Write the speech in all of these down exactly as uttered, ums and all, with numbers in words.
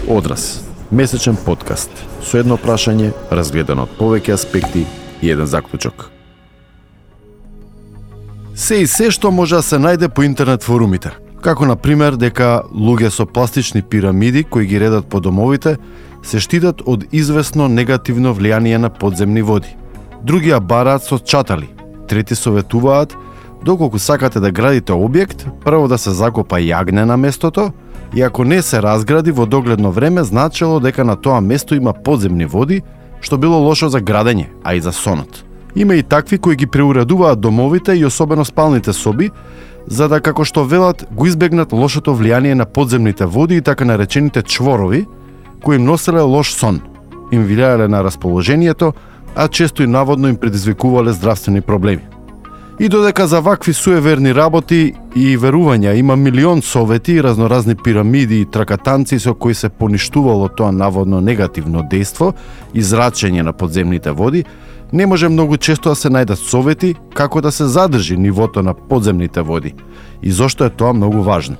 Одраз, месечен подкаст со едно прашање разгледано од повеќе аспекти и еден заклучок. Се и се што може да се најде по интернет форумите, како на пример дека луѓе со пластични пирамиди кои ги редат по домовите се штитат од известно негативно влијание на подземни води. Другија бараат со чатали, трети советуваат доколку сакате да градите објект, прво да се закопа јагне на местото, и ако не се разгради во догледно време, значело дека на тоа место има подземни води, што било лошо за градење, а и за сонот. Има и такви кои ги преуредуваат домовите и особено спалните соби, за да, како што велат, го избегнат лошото влијание на подземните води и така наречените чворови, кои им носеле лош сон, им влијале на расположението, а често и наводно им предизвикувале здравствени проблеми. И додека за вакви суеверни работи и верувања има милион совети и разноразни пирамиди и тракатанци со кои се поништувало тоа наводно негативно дејство и зрачење на подземните води, не може многу често да се најдат совети како да се задржи нивото на подземните води. И зошто е тоа многу важно?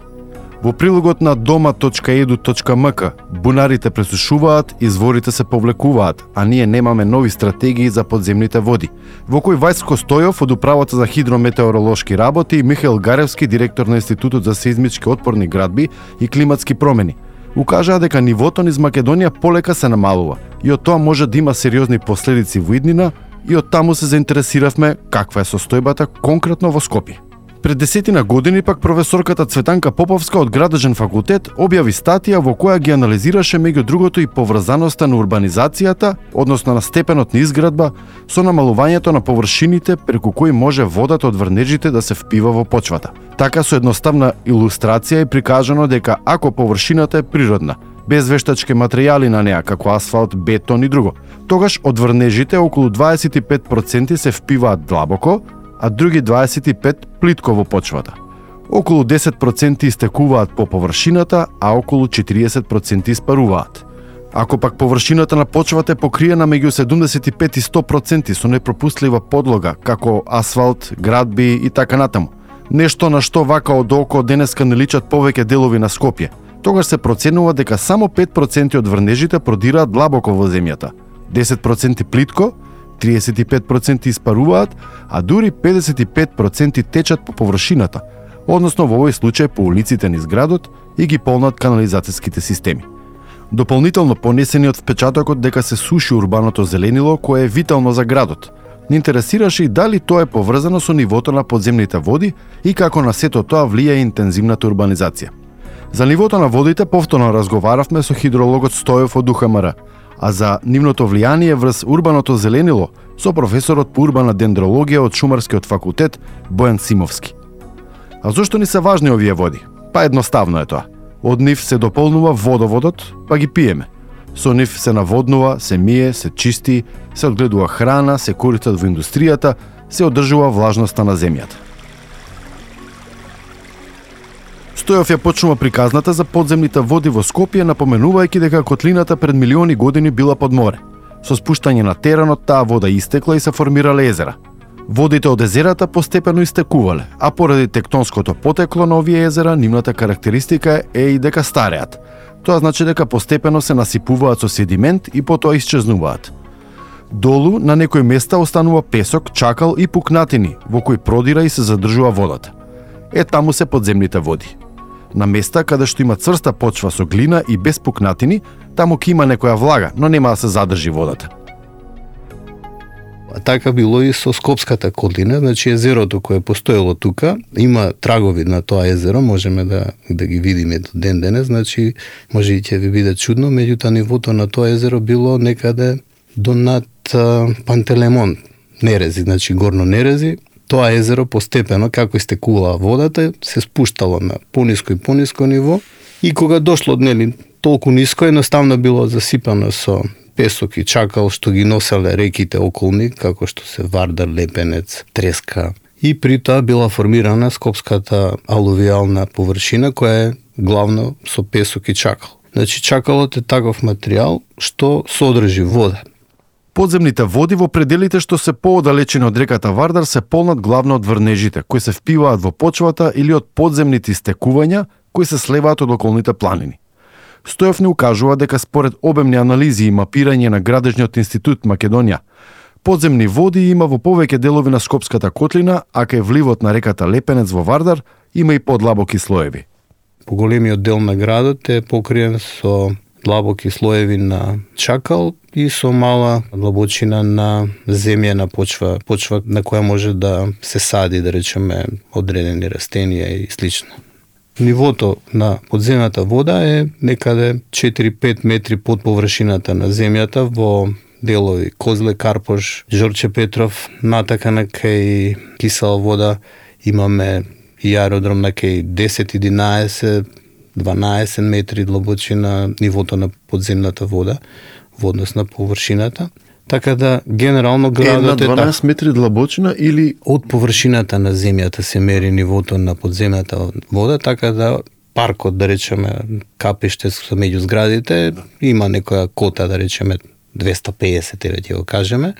Во прилогот на дома точка еду точка ем ка бунарите пресушуваат, изворите се повлекуваат, а ние немаме нови стратегии за подземните води, во кој Вајско Стојов од Управата за хидрометеоролошки работи и Михаил Гаревски, директор на Институтот за сеизмички отпорни градби и климатски промени, укажаа дека нивото низ Македонија полека се намалува и од тоа може да има сериозни последици во иднина, и од таму се заинтересиравме каква е состојбата конкретно во Скопје. Пред десетина години пак професорката Цветанка Поповска од Градежен факултет објави статија во која ги анализираше меѓу другото и поврзаноста на урбанизацијата, односно на степенот на изградба, со намалувањето на површините преку кои може водата од врнежите да се впива во почвата. Така со едноставна илустрација е прикажано дека ако површината е природна, без вештачки материјали на неа како асфалт, бетон и друго, тогаш од врнежите околу дваесет и пет проценти се впиваат длабоко, а други дваесет и пет проценти плитко во почвата. Околу десет проценти истекуваат по површината, а околу четириесет проценти испаруваат. Ако пак површината на почвата е покриена меѓу седумдесет и пет и сто проценти со непропустлива подлога, како асфалт, градби и така натаму, нешто на што вака од око денеска не личат повеќе делови на Скопје, тогаш се проценува дека само пет проценти од врнежите продираат длабоко во земјата, десет проценти плитко, триесет и пет проценти испаруваат, а дури педесет и пет проценти течат по површината, односно во овој случај по улиците низ градот и ги полнат канализацијските системи. Дополнително понесениот впечатокот дека се суши урбаното зеленило кое е витално за градот, не интересираше и дали тоа е поврзано со нивото на подземните води и како на сето тоа влијае интензивната урбанизација. За нивото на водите повторно разговаравме со хидрологот Стојов од У Х М Р, а за нивното влијание врз урбаното зеленило со професорот по урбана дендрологија од Шумарскиот факултет Бојан Симовски. А зошто ни се важни овие води? Па едноставно е тоа. Од нив се дополнува водоводот, па ги пиеме. Со нив се наводнува, се мие, се чисти, се одгледува храна, се користат во индустријата, се одржува влажноста на земјата. Стојов ја почнува приказната за подземните води во Скопје, напоменувајќи дека котлината пред милиони години била под море. Со спуштање на теренот таа вода истекла и се формирале езера. Водите од езерата постепено истекувале, а поради тектонското потекло на овие езера, нивната карактеристика е и дека стареат. Тоа значи дека постепено се насипуваат со седимент и потоа исчезнуваат. Долу на некои места останува песок, чакал и пукнатини, во кои продира и се задржува водата. Е таму се подземните води. На места каде што има цврста почва со глина и без пукнатини, таму ќе има некоја влага, но нема да се задржи водата. А така било и со Скопската котлина, значи езерото кое постоело тука, има трагови на тоа езеро, можеме да да ги видиме до ден денес, значи може и ќе ви биде чудно, меѓутоа нивото на тоа езеро било некаде до над Пантелеймон, Нерези, значи горно Нерези. Тоа езеро постепено, како истекувала водата, се спуштало на пониско и пониско ниво и кога дошло нели толку ниско, едноставно било засипано со песок и чакал што ги носеле реките околни, како што се Вардар, Лепенец, Треска. И при тоа била формирана Скопската алувиална површина, која е главно со песок и чакал. Значи чакалот е таков материјал што содржи вода. Подземните води во пределите што се поодалечени од реката Вардар се полнат главно од врнежите, кои се впиваат во почвата или од подземните истекувања, кои се сливаат од околните планини. Стоев не укажува дека според обемни анализи и мапирање на Градежниот институт Македонија, подземни води има во повеќе делови на Скопската котлина, а кај вливот на реката Лепенец во Вардар има и подлабоки слоеви. Поголемиот дел на градот е покриен со длабоки слоеви на чакал и со мала длабочина на земјена почва, почва на која може да се сади, да речеме, одредени растенија и слично. Нивото на подземната вода е некаде четири-пет метри под површината на земјата во делови Козле, Карпош, Жорче Петров, натака на кај Кисела вода имаме и аеродром на кај десет, единаесет, дванаесет метри длабочина нивото на подземната вода во однос на површината. Така да, генерално градот е дванаесет метри длабочина или од површината на земјата се мери нивото на подземната вода, така да паркот, да речеме, капиште со меѓу зградите, има некоја кота, да речеме, двесте и педесет, еве ќе го кажеме.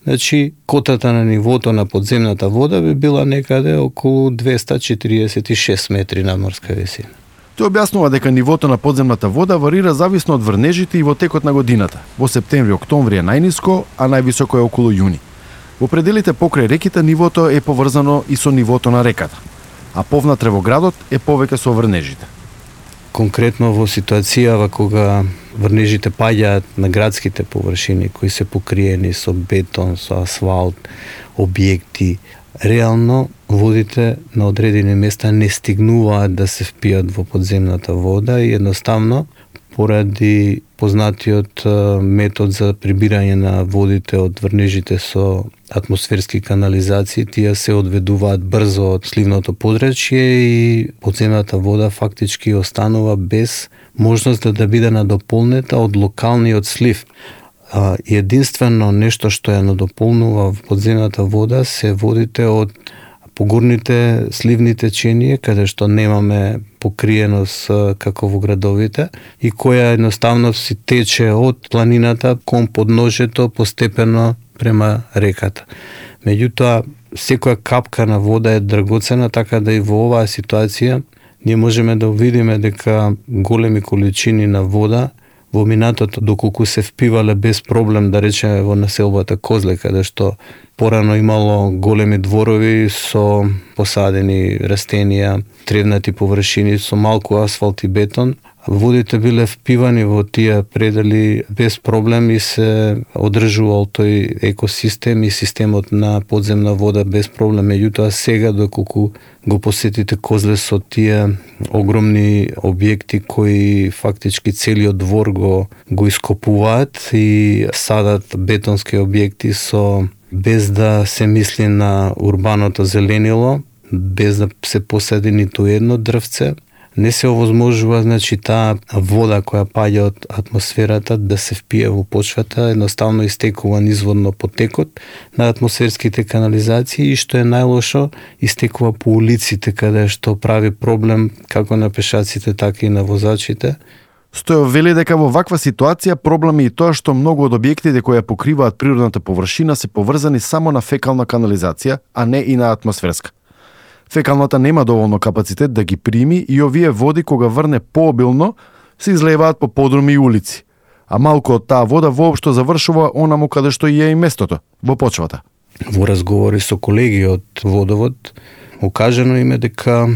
Значи, котата на нивото на подземната вода би била некаде околу двесте четиридесет и шест метри надморска висина. Тој објаснува дека нивото на подземната вода варира зависно од врнежите и во текот на годината. Во септември-октомври е најниско, а највисоко е околу јуни. Во пределите покрај реките нивото е поврзано и со нивото на реката, а повнатре во градот е повеќе со врнежите. Конкретно во ситуацијава кога врнежите паѓаат на градските површини кои се покриени со бетон, со асфалт, објекти, реално водите на одредени места не стигнуваат да се впијат во подземната вода и едноставно поради познатиот метод за прибирање на водите од врнежите со атмосферски канализации, тие се одведуваат брзо од сливното подречје и подземната вода фактички останува без можност да, да биде надополнета од локалниот слив. А, единствено нешто што ја надополнува во подземната вода се водите од погорните сливни теченија, каде што немаме покриеност како во градовите и која едноставно си тече од планината кон подножето постепено према реката. Меѓутоа, секоја капка на вода е драгоцена, така да и во оваа ситуација ние можеме да видиме дека големи количини на вода во минатото, доколку се впивале без проблем, да речеме во населбата Козле, каде што порано имало големи дворови со посадени растенија, тревнати површини со малку асфалт и бетон, водите биле впивани во тие предели без проблем и се одржувал тој екосистем и системот на подземна вода без проблем. Меѓутоа сега, доколку го посетите Козле со тие огромни објекти кои фактички целиот двор го, го ископуваат и садат бетонски објекти со без да се мисли на урбаното зеленило, без да се посади ниту едно дрвце, не се овозможува, значи, таа вода која паѓа од атмосферата да се впие во почвата, едноставно истекува низводно потекот на атмосферските канализации и што е најлошо, истекува по улиците, каде што прави проблем како на пешаците, така и на возачите. Стојов вели дека во ваква ситуација проблем е и тоа што многу од објектите кои ја покриваат природната површина се поврзани само на фекална канализација, а не и на атмосферска. Фекалната нема доволно капацитет да ги прими и овие води кога врне пообилно се излеваат по подруми и улици, а малку од таа вода воопшто завршува онаму каде што и е и местото, во почвата. Во разговори со колеги од водовод, окажано им е дека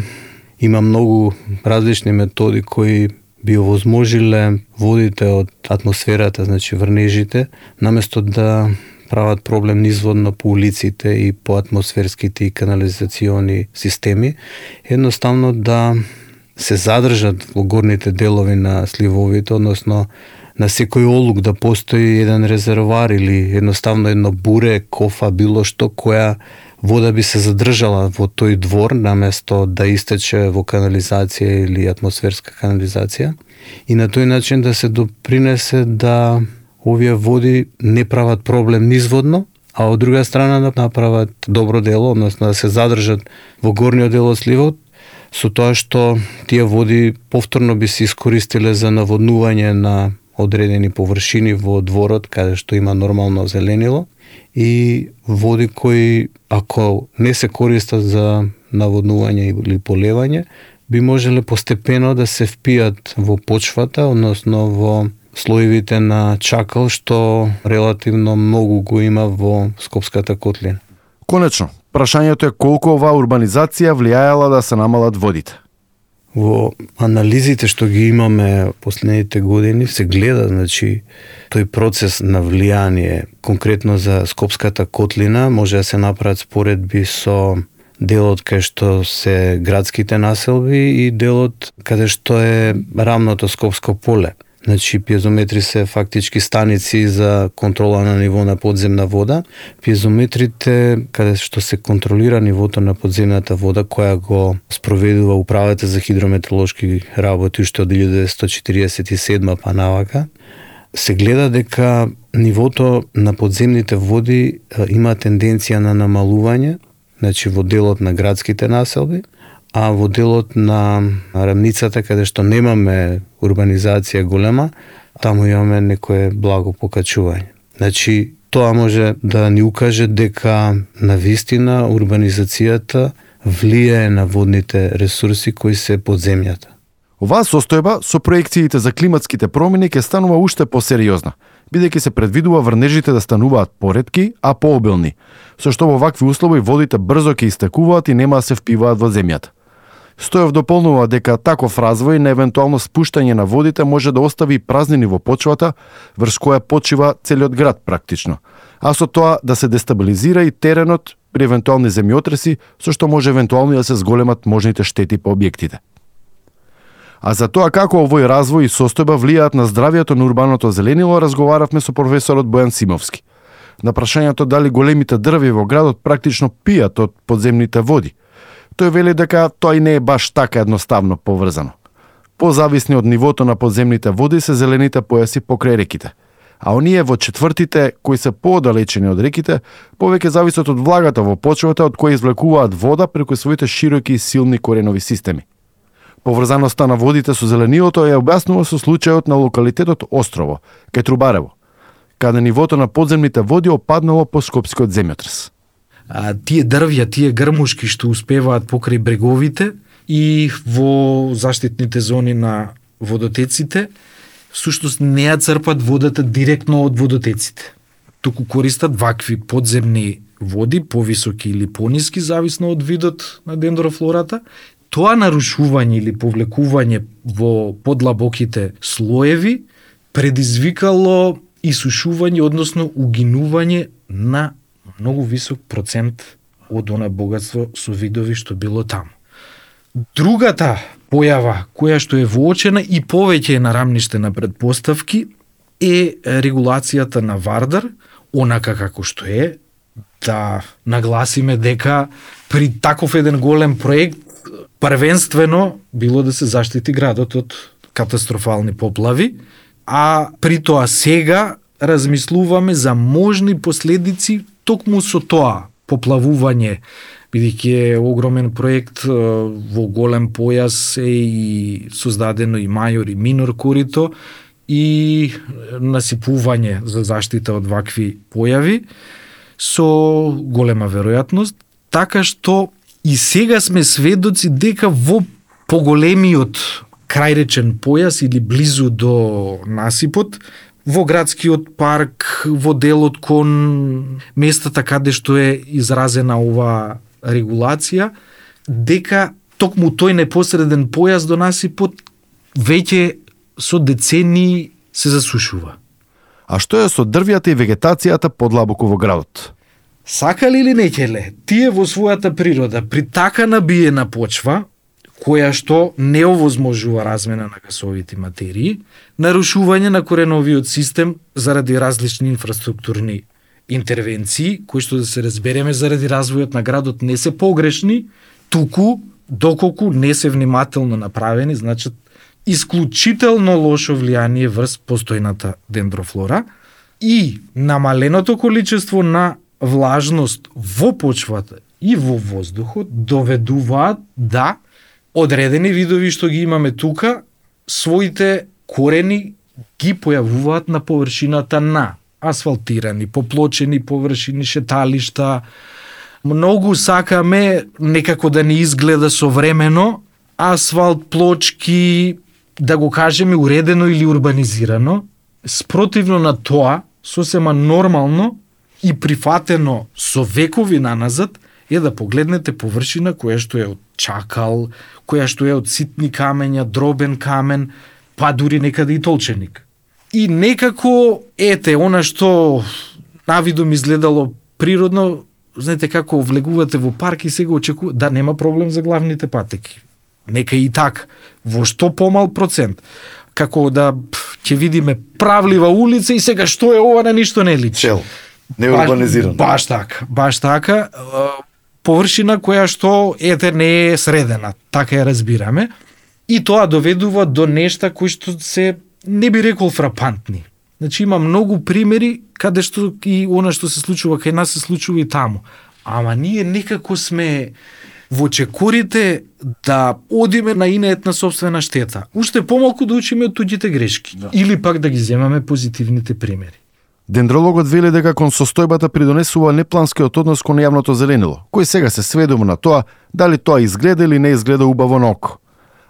има многу различни методи кои би овозможиле водите од атмосферата, значи врнежите, наместо да прават проблем низводно по улиците и по атмосферските и канализациони системи, едноставно да се задржат во горните делови на сливовите, односно на секој олук да постои еден резервоар или едноставно едно буре, кофа, било што, која вода би се задржала во тој двор, наместо да истече во канализација или атмосферска канализација, и на тој начин да се допринесе да овие води не прават проблем низводно, а од друга страна да направат добро дело, односно да се задржат во горниот дел од сливот, со тоа што тие води повторно би се искористиле за наводнување на одредени површини во дворот, каде што има нормално зеленило, и води кои, ако не се користат за наводнување или полевање, би можеле постепено да се впијат во почвата, односно во слоевите на чакал, што релативно многу го има во Скопската котлина. Конечно, прашањето е колку оваа урбанизација влијаела да се намалат водите. Во анализите што ги имаме последните години се гледа, значи, тој процес на влијание конкретно за Скопската котлина може да се направат споредби со делот кај што се градските населби и делот каде што е рамното Скопско поле. Значи, пиезометри се фактички станици за контрола на ниво на подземна вода. Пиезометрите, каде што се контролира нивото на подземната вода, која го спроведува Управата за хидрометеоролошки работи уште од илјада деветстотини четиридесет и седма па навака, се гледа дека нивото на подземните води има тенденција на намалување, значи во делот на градските населби, а во делот на рамницата, каде што немаме урбанизација голема, таму имаме некое благо покачување. Значи, тоа може да ни укаже дека навистина урбанизацијата влијае на водните ресурси кои се под земјата. Оваа состојба со проекциите за климатските промени ќе станува уште посериозна, бидејќи се предвидува врнежите да стануваат поретки, а пообилни, со што во вакви услови водите брзо ќе истекуваат и нема да се впиваат во земјата. Стоев дополнува дека таков развој на евентуално спуштање на водите може да остави празнини во почвата, врз која почива целиот град практично, а со тоа да се дестабилизира и теренот при евентуални земјотреси, со што може евентуално да се зголемат можните штети по објектите. А за тоа како овој развој и состојба влијаат на здравието на урбаното зеленило, разговаравме со професорот Бојан Симовски. На прашањето дали големите дрви во градот практично пијат од подземните води, тој вели дека тоа и не е баш така едноставно поврзано. Позависни од нивото на подземните води се зелените појаси покрај реките, а оние во четвртите кои се поодалечени од реките повеќе зависат од влагата во почвата од која извлекуваат вода преку своите широки и силни коренови системи. Поврзаноста на водите со зелениото ја објаснува со случајот на локалитетот Острово, кај Трубарево, каде нивото на подземните води опаднало по скопскиот земјотрес. А, тие дрвја, тие грмушки што успеваат покрај бреговите и во заштитните зони на водотеците, всушност не ја црпат водата директно од водотеците. Туку користат вакви подземни води, повисоки или пониски, зависно од видот на дендрофлората. Тоа нарушување или повлекување во подлабоките слоеви предизвикало исушување, односно угинување на многу висок процент од она богатство со видови што било таму. Другата појава која што е воочена и повеќе е на рамниште на предпоставки е регулацијата на Вардар, онака како што е, да нагласиме дека при таков еден голем проект првенствено било да се заштити градот од катастрофални поплави, а при тоа сега размислуваме за можни последици токму со тоа поплавување, бидејќи е огромен проект во голем појас е и создадено и мајор и минор корито и насипување за заштита од вакви појави со голема веројатност, така што и сега сме сведоци дека во поголемиот крајречен појас или близу до насипот, во градскиот парк, во делот кон местата каде што е изразена ова регулација, дека токму тој непосреден појас до насипот веќе со децении се засушува. А што е со дрвјата и вегетацијата подлабоко во градот? Сакале или не ќеле, тие во својата природа, при така набиена почва, која што не овозможува размена на гасовите материи, нарушување на кореновиот систем заради различни инфраструктурни интервенции, кои што да се разбереме заради развојот на градот не се погрешни, туку доколку не се внимателно направени, значат исклучително лошо влијание врз постојната дендрофлора и намаленото количество на влажност во почвата и во воздухот доведуваат да одредени видови што ги имаме тука, своите корени ги појавуваат на површината на асфалтирани, поплочени површини, шеталишта. Многу сакаме некако да ни изгледа современо, асфалт, плочки, да го кажеме уредено или урбанизирано, спротивно на тоа, сосема нормално и прифатено со векови наназад, е да погледнете површина која што е од чакал, која што е од ситни камења, дробен камен, па дури некаде и толченик. И некако, ете, она што навидом изгледало природно, знаете како влегувате во парк и сега очекува, да нема проблем за главните патеки. Нека и така, во што помал процент. Како да ќе видиме правлива улица и сега што е ова, на ништо не личи. Цел, не урбанизирано. Баш, баш така, баш така. Површина која што ете не е средена, така ја разбираме. И тоа доведува до нешта кои што се, не би рекол фрапантни. Значи има многу примери каде што и она што се случува кај нас се случува и таму. Ама ние некако сме во чекорите да одиме на инеетна собствена штета. Уште помалку да учиме од туѓите грешки. Да. Или пак да ги земаме позитивните примери. Дендрологот вели дека кон состојбата придонесува непланскиот однос кон јавното зеленило, кој сега се сведува на тоа дали тоа изгледа или не изгледа убаво на око,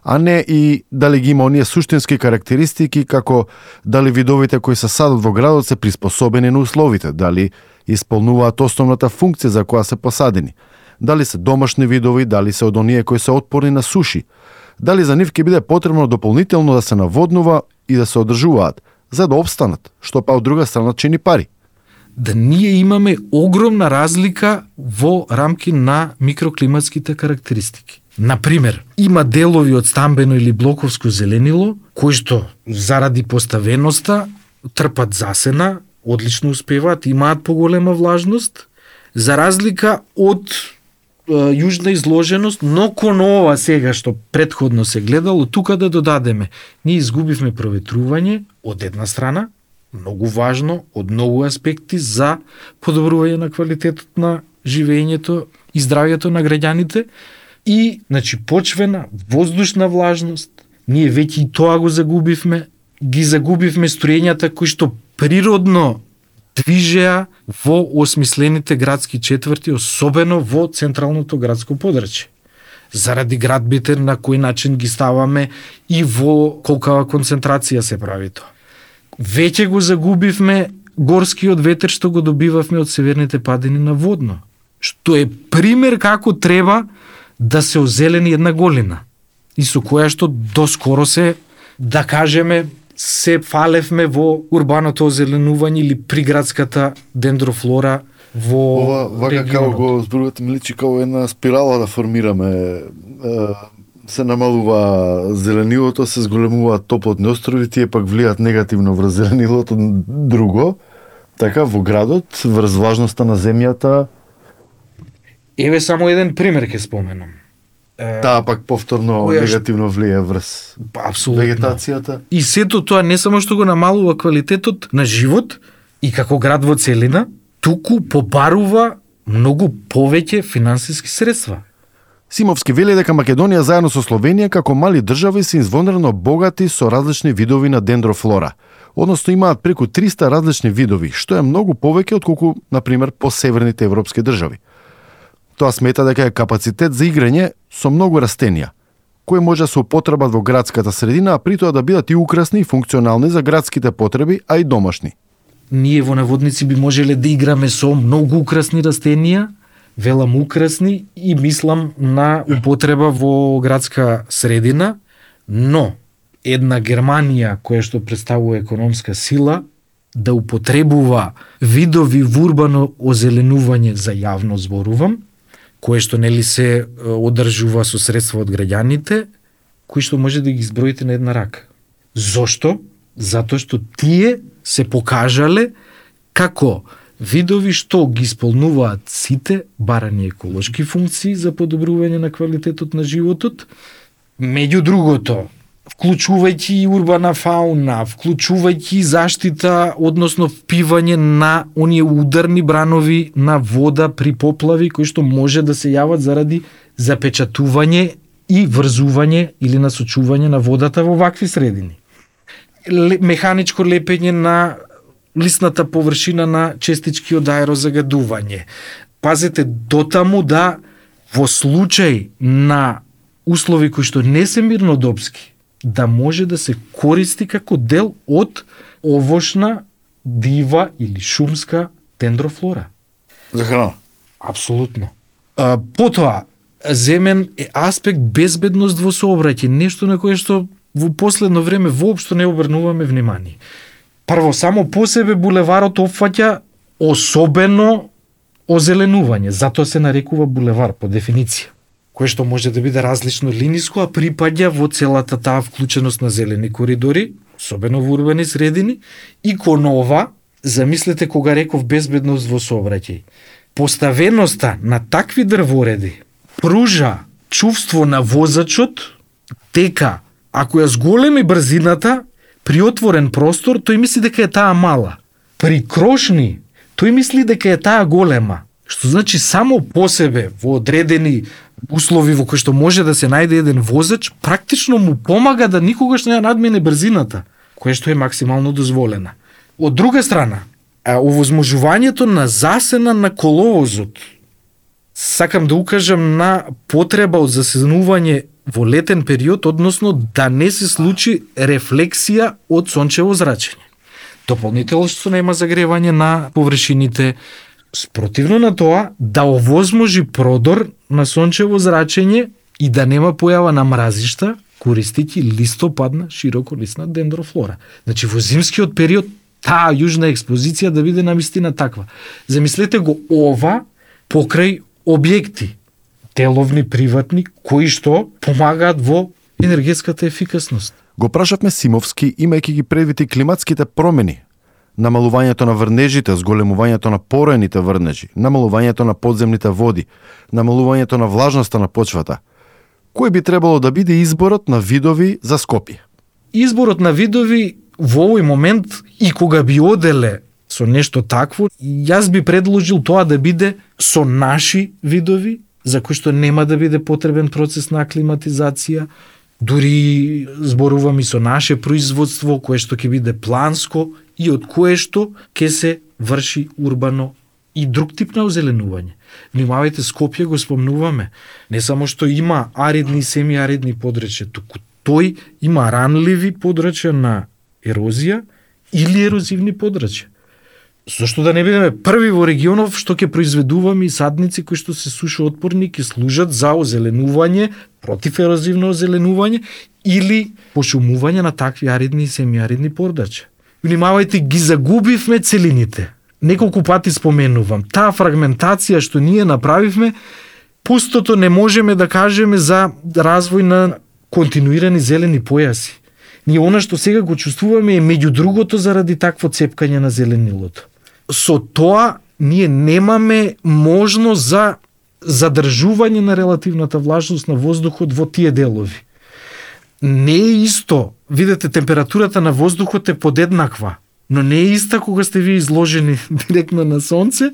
а не и дали ги има оние суштински карактеристики како дали видовите кои се садат во градот се приспособени на условите, дали исполнуваат основната функција за која се посадени, дали се домашни видови, дали се од оние кои се отпорни на суши, дали за нив ќе биде потребно дополнително да се наводнува и да се одржуваат, за да обстанат, што па од друга страна чини пари. Да ние имаме огромна разлика во рамки на микроклиматските карактеристики. Например, има делови од стамбено или блоковско зеленило, кои што заради поставеноста трпат засена, одлично успеваат, имаат поголема влажност, за разлика од е, јужна изложеност, но кон ова сега што предходно се гледало, тука да додадеме, ние изгубивме проветрување од една страна, многу важно, од многу аспекти за подобрување на квалитетот на живеењето и здравјето на граѓаните, и, значи, почвена, воздушна влажност, ние веќе и тоа го загубивме, ги загубивме строењата кои што природно движеа во осмислените градски четврти, особено во централното градско подрачје. Заради градбите на кој начин ги ставаме и во колкава концентрација се прави тоа. Веќе го загубивме горскиот ветер што го добивавме од северните падини на водно, што е пример како треба да се озелени една голина и со која што доскоро се, да кажеме, се фалевме во урбаното озеленување или приградската дендрофлора во Ова, вака како го зборувате, ми личи како една спирала да формираме. Се намалува зеленилото, се зголемуваат топлотни острови, тие пак влијат негативно врз зеленилото друго. Така, во градот, врз влажноста на земјата. Еве само еден пример ќе споменам. Таа пак повторно која негативно влие врз апсолутно вегетацијата. И сето тоа не само што го намалува квалитетот на живот и како град во целина, туку побарува многу повеќе финансиски средства. Симовски вели дека Македонија заедно со Словенија како мали држави се извонредно богати со различни видови на дендрофлора. Односно имаат преку триста различни видови, што е многу повеќе отколку, на пример, по северните европски држави. Тоа смета дека е капацитет за играње со многу растенија, кои може да се употребат во градската средина, а при тоа да бидат и украсни и функционални за градските потреби, а и домашни. Ние во наводници би можеле да играме со многу украсни растенија, велам украсни, и мислам на употреба во градска средина, но една Германија која што представува економска сила да употребува видови во урбано озеленување за јавно зборувам, кое што нели се одржува со средства од граѓаните, кои што може да ги изброите на една рака. Зошто? Затоа што тие се покажале како видови што ги исполнуваат сите барани еколошки функции за подобрување на квалитетот на животот, меѓу другото, вклучувајќи и урбана фауна, вклучувајќи заштита, односно впивање на оние ударни бранови на вода при поплави, кои што може да се јават заради запечатување и врзување или насочување на водата во вакви средини. Механичко лепење на лисната површина на честички од аерозагадување. Пазете, дотаму да во случај на услови кои што не се мирнодопски, да може да се користи како дел од овошна, дива или шумска дендрофлора. За храна? Апсолутно. А, потоа, земен е аспект безбедност во сообраќај, нешто на кое што во последно време воопшто не обрнуваме внимание. Прво, само по себе булеварот опфаќа особено озеленување, затоа се нарекува булевар по дефиниција, кое што може да биде различно линиско, а припаѓа во целата таа вклученост на зелени коридори, особено во урбани средини, и кон ова, замислете кога реков безбедност во сообраќај. Поставеноста на такви дрвореди пружа чувство на возачот дека ако ја зголеми брзината при отворен простор, тој мисли дека е таа мала. При крошни, тој мисли дека е таа голема. Што значи само по себе во одредени услови во кои што може да се најде еден возач, практично му помага да никогаш не ја надмине брзината, кое што е максимално дозволена. Од друга страна, овозможувањето на засена на коловозот, сакам да укажам на потреба од засенување во летен период, односно да не се случи рефлексија од сончево зрачење. Дополнително што нема загревање на површините, спротивно на тоа да овозможи продор на сончево зрачење и да нема појава на мразишта, користејќи листопадна широколисна дендрофлора. Значи во зимскиот период таа јужна експозиција да биде навистина таква. Замислете го ова покрај објекти, деловни, приватни, кои што помагаат во енергетската ефикасност. Го прашавме Симовски, имајќи ги предвид и климатските промени, намалувањето на врнежите, зголемувањето на порените врнежи, намалувањето на подземните води, намалувањето на влажноста на почвата. Кој би требало да биде изборот на видови за Скопје? Изборот на видови во овој момент и кога би оделе со нешто такво, јас би предложил тоа да биде со наши видови, за кои што нема да биде потребен процес на аклиматизација, дури зборувам и со наше производство, кое што ќе биде планско и од кое што ќе се врши урбано и друг тип на озеленување. Внимавајте, Скопје го спомнуваме, не само што има аридни и семиаридни подрачја, туку тој има ранливи подрачја на ерозија или ерозивни подрачја. Зошто да не бидеме први во регионов што ќе произведуваме и садници кои што се сушоотпорни, ќе служат за озеленување, против ерозивно озеленување или пошумување на такви аридни и семиаридни подрачја. Внимавајте, ги загубивме целините. Неколку пати споменувам, таа фрагментација што ние направивме, пустото не можеме да кажеме за развој на континуирани зелени појаси. Ние она што сега го чувствуваме е меѓу другото заради такво цепкање на зеленилото. Со тоа ние немаме можност за задржување на релативната влажност на воздухот во тие делови. Не е исто, видете, температурата на воздухот е подеднаква, но не е иста кога сте ви изложени директно на сонце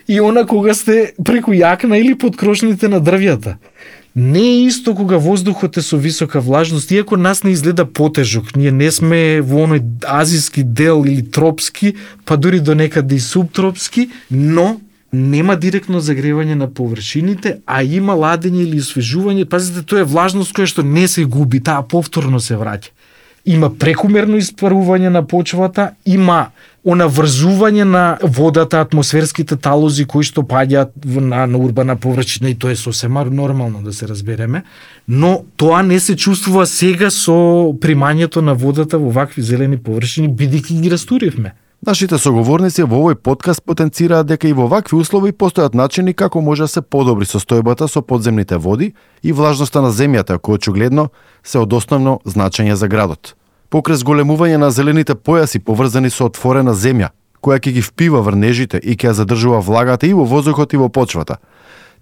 и она кога сте преку јакна или под крошните на дрвјата. Не е исто кога воздухот е со висока влажност, иако нас не изгледа потежок. Ние не сме во оној азиски дел или тропски, па дури до некаде и субтропски, но нема директно загревање на површините, а има ладење или освежување. Пазите, тоа е влажност која што не се губи, таа повторно се враќа. Има прекумерно испарување на почвата, има онаврзување на водата, атмосферските талози кои што паѓаат на, на урбана површина и тоа е сосема нормално да се разбереме, но тоа не се чувствува сега со примањето на водата во вакви зелени површини, бидејќи ги растуривме. Нашите соговорници во овој подкаст потенцираат дека и во вакви услови постојат начини како може да се подобри состојбата со подземните води и влажноста на земјата, кој очигледно се од основно значење за градот. Покрај зголемување на зелените појаси поврзани со отворена земја, која ќе ги впива врнежите и ќе ја задржува влагата и во воздухот и во почвата.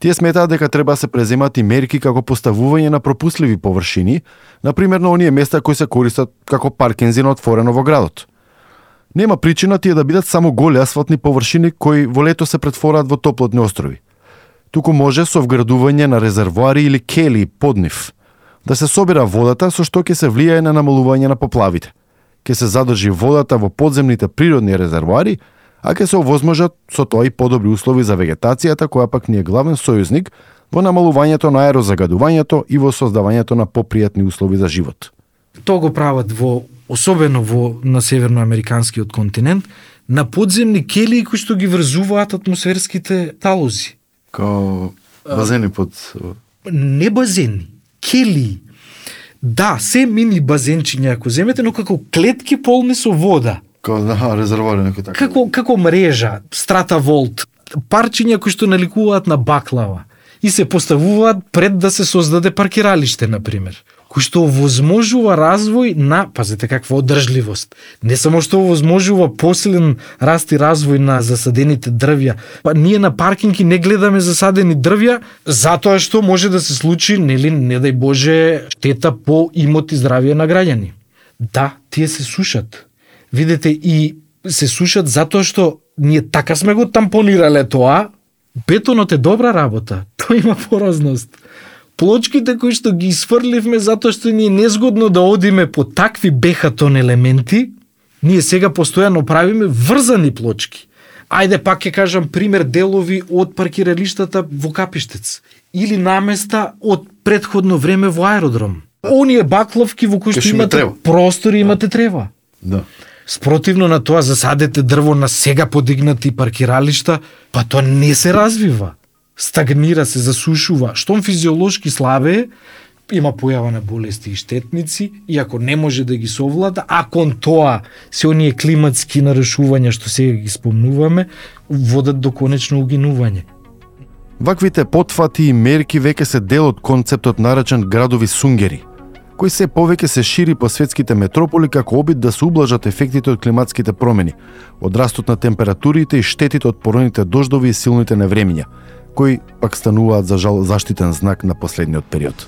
Тие сметаат дека треба да се преземат и мерки како поставување на пропусливи површини, например на оние места кои се користат како паркинзи на отворено во градот. Нема причина тие да бидат само голи асфалтни површини кои во лето се претвораат во топлотни острови. Туку може со вградување на резервоари или кели под нив да се собира водата, со што ќе се влијае на намалување на поплавите. Ќе се задржи водата во подземните природни резервоари, а ќе се овозможат со тоа и подобри услови за вегетацијата, која пак ни е главен сојузник во намалувањето на аерозагадувањето и во создавањето на попријатни услови за живот. Тоа го прават во, особено во на северноамериканскиот континент, на подземни келии кои што ги врзуваат атмосферските талози. Као базени под... Не базени, келии. Да, се мини базенчиња ако земете, но како клетки полни со вода. Као да, резервоари некој така. Како, како мрежа, стратаволт, парчиња кои што наликуваат на баклава и се поставуваат пред да се создаде паркиралиште, например, кој што овозможува развој на, пазете каква одржливост, не само што овозможува посилен раст и развој на засадените дрвја, па ние на паркинги не гледаме засадени дрвја, затоа што може да се случи, нели, не дај Боже, штета по имот и здравје на граѓани. Да, тие се сушат. Видете, и се сушат затоа што ние така сме го тампонирале тоа. Бетонот е добра работа, тој има поразност. Плочките кои што ги изфрливме затоа што ни е незгодно да одиме по такви бехатон елементи, ние сега постојано правиме врзани плочки. Ајде пак ќе кажам пример делови од паркиралиштата во Капиштец или наместа од претходно време во аеродром. Оние бакловки во кои што имате простор и имате трева. Да. Спротивно на тоа засадете дрво на сега подигнати паркиралишта, па тоа не се развива. Стагнира се, засушува. Штом физиолошки слабее, има појава на болести и штетници, и ако не може да ги совлада, а кон тоа се оние климатски нарушувања што сега ги спомнуваме, водат до конечно угинување. Ваквите потфати и мерки веќе се дел од концептот наречен градови сунгери, кој се повеќе се шири по светските метрополи како обид да се ублажат ефектите од климатските промени, од растот на температурите и штетите од поројните дождови и силните невремиња, кои пак стануваат за жал заштитен знак на последниот период.